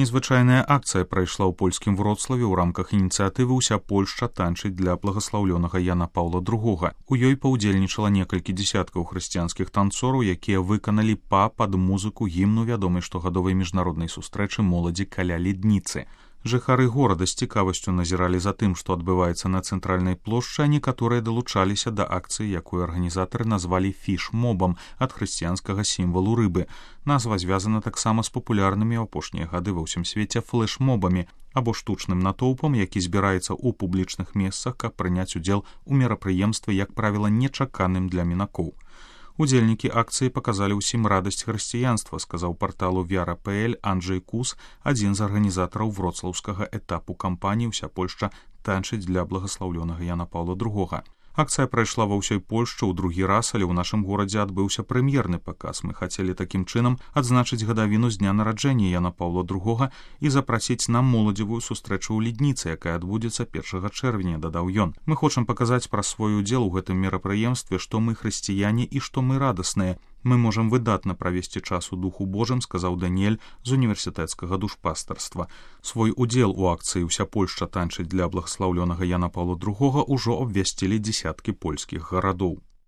Незвычайная акцыя прайшла ў польскім Вроцлаве ў рамках ініцыятывы «Уся Польшча танчыць для благаслаўлёнага Яна Паўла II». У ёй паўдзельнічала некалькі дзесяткаў хрысціянскіх танцораў, якія выканалі пад музыку гімну вядомай штогадовай міжнароднай сустрэчы моладзі каля Ледніцы. Жыхары горада з цікавасцю назіралі за тым, што адбываецца на цэнтральнай плошчы, а некаторыя далучаліся да акцыі, якую арганізатары назвалі фіш-мобам ад хрысціянскага сімвалу рыбы. Назва звязана таксама з папулярнымі ў апошнія гады ва ўсім свеце флэш-мобамі або штучным натоўпам, які збіраецца ў публічных месцах, каб прыняць удзел у мерапрыемстве, як правіла, нечаканым для мінакоў. Удзельнікі акцыі паказалі ўсім радасць хрысціянства, сказаў парталу Вяра.пл Анджэй Кус, адзін з арганізатараў вроцлаўскага этапу кампаніі «Уся Польшча танчыць для благаслаўлёнага Яна Паўла II». Акцыя прайшла ва ўсёй Польшчы ў другі раз, але ў нашым горадзе адбыўся прэм'ерны паказ. Мы хацелі такім чынам адзначыць гадавіну з дня нараджэння Яна Паўла II і запрасіць на моладзевую сустрэчу ў Ледніцы, якая адбудзецца 1 чэрвеня, дадаў ён. Мы хочам паказаць праз свой удзел у гэтым мерапрыемстве, што мы хрысціяне і што мы радасныя. Мы можам выдатна правесці час у духу Божым, сказаў Даніэль з універсітэцкага душпастарства. Свой удзел у акцыі «Уся Польшча танчыць для благаслаўлёнага Яна Паўла II» ужо абвясцілі дзесяткі польскіх гарадоў.